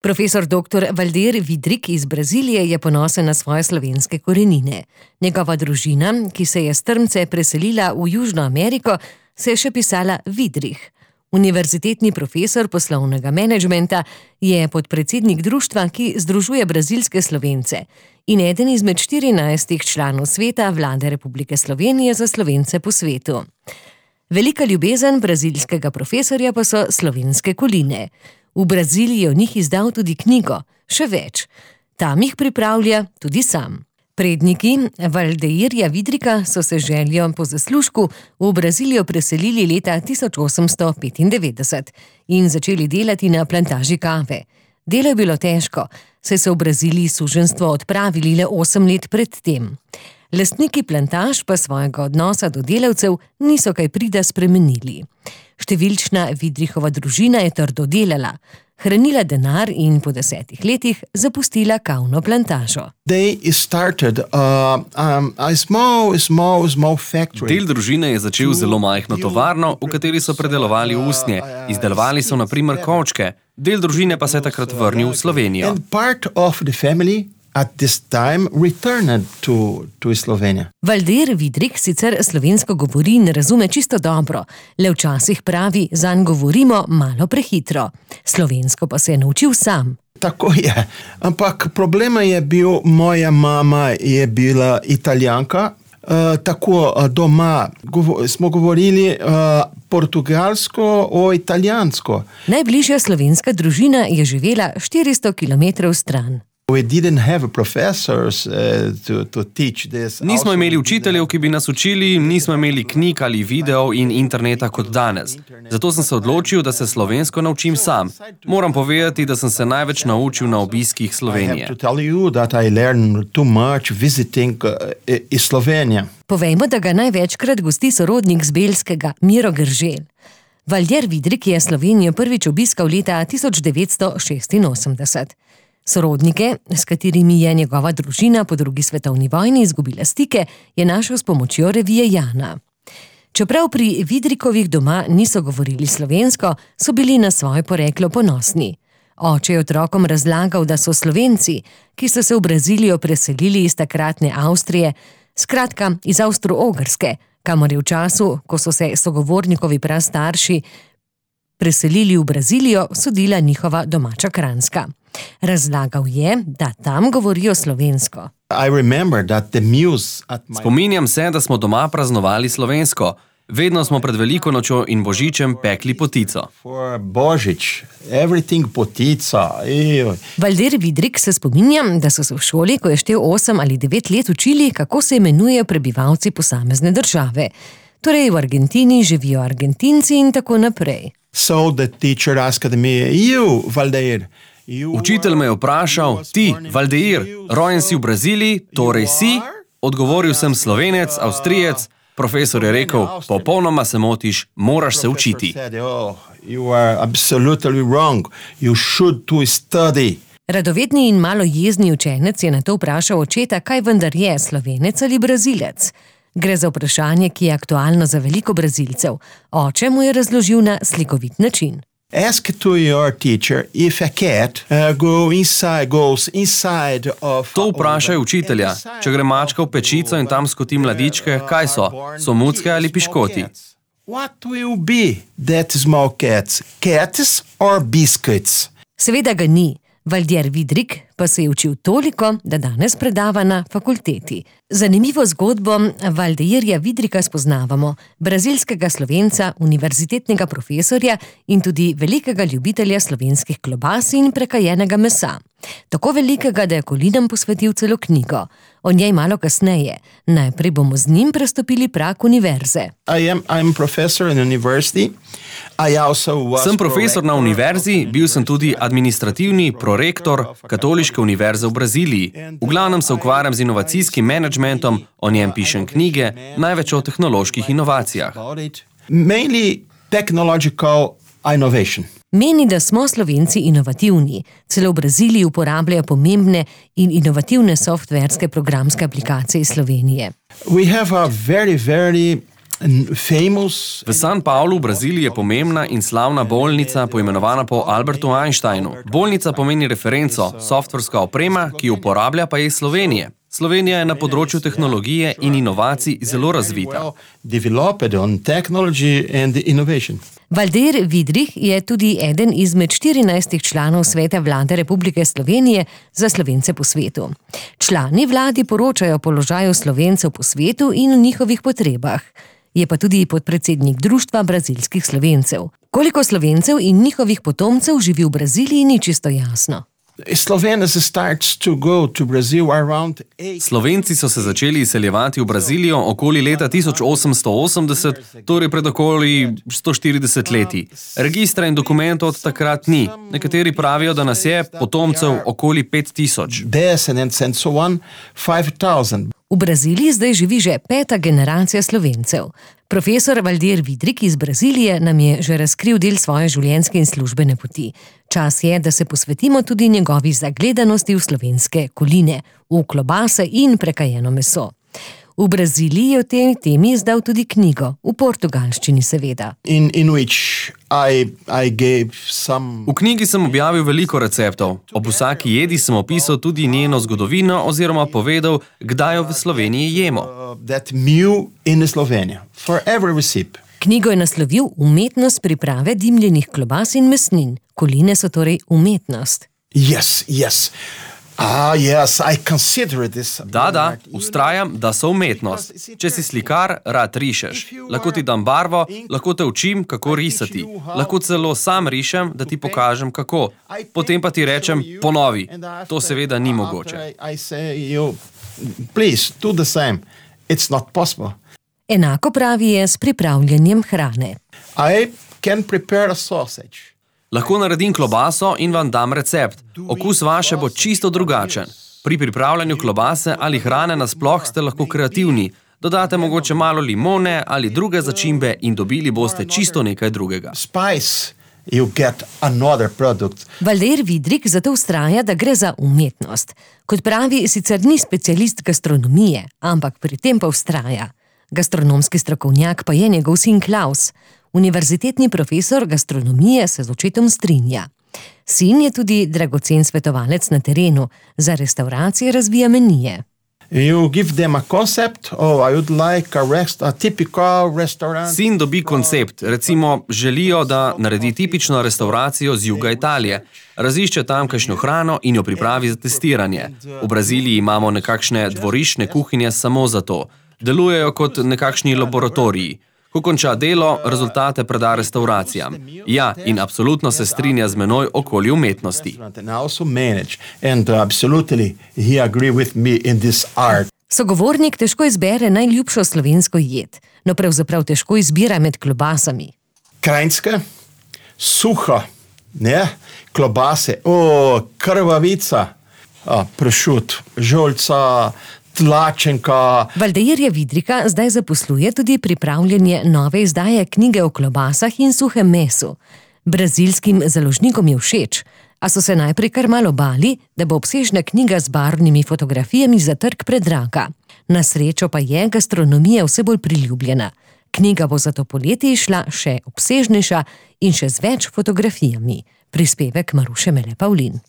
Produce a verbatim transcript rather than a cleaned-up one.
Profesor doktor Valdir Vidrik iz Brazilije je ponosen na svoje slovenske korenine. Njegova družina, ki se je s Trmce preselila v Južno Ameriko, se je še pisala Vidrih. Univerzitetni profesor poslovnega menedžmenta je podpredsednik društva, ki združuje brazilske Slovence in eden izmed štirinajstih članov sveta Vlade Republike Slovenije za Slovence po svetu. Velika ljubezen brazilskega profesorja pa so slovenske koline. V Braziliji je o njih izdal tudi knjigo, še več. Tam jih pripravlja tudi sam. Predniki Valdeirja Vidrika so se željo po zaslužku v Brazilijo preselili leta tisoč osemsto petindevetdeset in začeli delati na plantaži kave. Delo je bilo težko, saj so v Braziliji suženjstvo odpravili le osem let pred tem. Lastniki plantaž pa svojega odnosa do delavcev niso kaj prida spremenili. Številčna Vidrihova družina je trdo delala, hranila denar in po desetih letih zapustila kavno plantažo. Started, uh, um, small, small, small Del družine je začel zelo majhno tovarno, v kateri so predelovali usnje. Izdelovali so na primer kovčke. Del družine pa se je takrat vrnil v Slovenijo. At this time returned to, to Slovenija. Valdir Vidrik sicer slovensko govori in razume čisto dobro, le včasih pravi, zanj govorimo malo prehitro. Slovensko pa se je naučil sam. Tako je, ampak problema je bil, moja mama je bila Italijanka, uh, tako uh, doma govo, smo govorili uh, portugalsko o italijansko. Najbližja slovenska družina je živela štiristo kilometrov stran. We didn't have professors uh, to, to teach this. Nismo imeli učiteljev, ki bi nas učili, nismo imeli knjig ali videov in interneta kot danes. Zato sem se odločil, da se slovensko naučim sam. Moram povedati, da sem se največ naučil na obiskih Slovenije. I have to tell you that I learned too much visiting uh, Slovenija. Povejmo, da ga največkrat gosti sorodnik z Belskega, Miro Grželj. Valdir Vidrik je Slovenijo prvič obiskal leta tisoč devetsto šestinosemdeset. Sorodnike, s katerimi je njegova družina po drugi svetovni vojni izgubila stike, je našel s pomočjo revije Jana. Čeprav pri Vidrikovih doma niso govorili slovensko, so bili na svoje poreklo ponosni. Oče je otrokom razlagal, da so Slovenci, ki so se v Brazilijo preselili iz takratne Avstrije, skratka iz Avstro-Ogrske, kamor je v času, ko so se sogovornikovi prastarši preselili v Brazilijo, sodila njihova domača Kranjska. Razlagal je, da tam govorijo slovensko. Spominjam se, da smo doma praznovali slovensko. Vedno smo pred Veliko nočjo in Božičem pekli potico. Božič, everything potica. Valdir Vidrik se spominja, da so se v šoli, ko je štel osem ali devet let, učili, kako se imenujejo prebivalci posamezne države. Torej v Argentini živijo Argentinci in tako naprej. So the teacher asked me, you, Valdir, Učitelj me je vprašal, ti, Valdir, rojen si v Braziliji, torej si? Odgovoril sem Slovenec, Avstrijec. Profesor je rekel, popolnoma se motiš, moraš se učiti. Radovedni in malo jezni učenec je nato vprašal očeta, kaj vendar je, Slovenec ali Brazilec. Gre za vprašanje, ki je aktualno za veliko Brazilcev. Oče mu je razložil na slikovit način. Ask to your teacher if a cat uh, go inside, goes inside of... To vprašaj učitelja. Če gre mačka v pečico in tam skoti mladičke, kaj so? So mucke ali piškoti? What will be that small cats? Cats or biscuits? Seveda ga ni. Valdir Vidrik pa se je učil toliko, da danes predava na fakulteti. Zanimivo zgodbo Valdeirja Vidrika spoznavamo, brazilskega Slovenca, univerzitetnega profesorja in tudi velikega ljubitelja slovenskih klobas in prekajenega mesa. Tako velikega, da je kolinam posvetil celo knjigo. O njej malo kasneje. Najprej bomo z njim prestopili prag univerze. I am, I'm professor in university. I also was sem profesor na univerzi, bil sem tudi administrativni prorektor Katoliške univerze v Braziliji. V glavnem se ukvarjam z inovacijskim menedžmentom, o njem pišem knjige, največ o tehnoloških inovacijah. Mainly technological innovation. Meni, da smo Slovenci inovativni. Celo v Braziliji uporabljajo pomembne in inovativne softverske programske aplikacije iz Slovenije. We have a very, very famous. V San Paulu v Braziliji je pomembna in slavna bolnica, poimenovana po Albertu Einsteinu. Bolnica pomeni referenco, softverska oprema, ki jo uporablja pa je iz Slovenije. Slovenija je na področju tehnologije in inovacij zelo razvita. Valdir Vidrih je tudi eden izmed štirinajstih članov Sveta vlade Republike Slovenije za Slovence po svetu. Člani vladi poročajo o položaju Slovencev po svetu in o njihovih potrebah. Je pa tudi podpredsednik Društva brazilskih Slovencev. Koliko Slovencev in njihovih potomcev živi v Braziliji, ni čisto jasno. Slovenci so se začeli izseljevati v Brazilijo okoli leta tisoč osemsto osemdeset, torej pred okoli sto štirideset leti. Registra in dokumentov od takrat ni. Nekateri pravijo, da nas je potomcev okoli pet tisoč. V Braziliji zdaj živi že peta generacija Slovencev. Profesor Valdir Vidrih iz Brazilije nam je že razkril del svoje življenjske in službene poti. Čas je, da se posvetimo tudi njegovi zagledanosti v slovenske koline, v klobase in prekajeno meso. V Braziliji je o tej temi izdal tudi knjigo, v portugalščini seveda. In, in which I, I gave some... V knjigi sem objavil veliko receptov. Ob vsaki jedi sem opisal tudi njeno zgodovino oziroma povedal, kdaj jo v Sloveniji jemo. That meal in Slovenija. For every recipe. Knjigo je naslovil Umetnost priprave dimljenih klobas in mesnin. Koline so torej umetnost. Yes, yes. Ah, yes, I consider this. Da, da, ustrajam, da so umetnost. Če si slikar, rad rišeš. Lahko ti dam barvo, lahko te učim, kako risati. Lahko celo sam rišem, da ti pokažem, kako. Potem pa ti rečem, ponovi. To seveda ni mogoče. Please, do the same. It's not possible. Enako pravi je s pripravljanjem hrane. I can prepare a sausage. Lahko naredim klobaso in vam dam recept. Okus vaše bo čisto drugačen. Pri pripravljanju klobase ali hrane nasploh ste lahko kreativni. Dodate mogoče malo limone ali druge začimbe in dobili boste čisto nekaj drugega. Spice, you get another product. Valdir Vidrih zato vztraja, da gre za umetnost. Kot pravi, sicer ni specialist gastronomije, ampak pri tem pa vztraja. Gastronomski strokovnjak pa je njegov sin Klaus. Univerzitetni profesor gastronomije se z očetom strinja. Sin je tudi dragocen svetovalec na terenu, za restavracije razvija menije. You give them a concept, oh, I would like a, rest, a typical restaurant. Sin dobi koncept, recimo želijo, da naredi tipično restauracijo z juga Italije. Razišče tamkajšnjo hrano in jo pripravi za testiranje. V Braziliji imamo nekakšne dvorišne kuhinje samo za to. Delujejo kot nekakšni laboratoriji. Ko konča delo, rezultate preda restauracijam. Ja, in absolutno se strinja z menoj okoli umetnosti. Sogovornik težko izbere najljubšo slovensko jed, no pravzaprav težko izbira med klobasami. Krajinska, suha, ne, klobase, o, krvavica, a, pršut, žolca, tlačenka. Valdirja Vidriha zdaj zaposluje tudi pripravljanje nove izdaje knjige o klobasah in suhem mesu. Brazilskim založnikom je všeč, a so se najprej kar malo bali, da bo obsežna knjiga z barvnimi fotografijami za trg predraga. Na srečo pa je gastronomija vse bolj priljubljena. Knjiga bo zato poleti išla še obsežnejša in še z več fotografijami. Prispevek Maruše Mele Pavlin.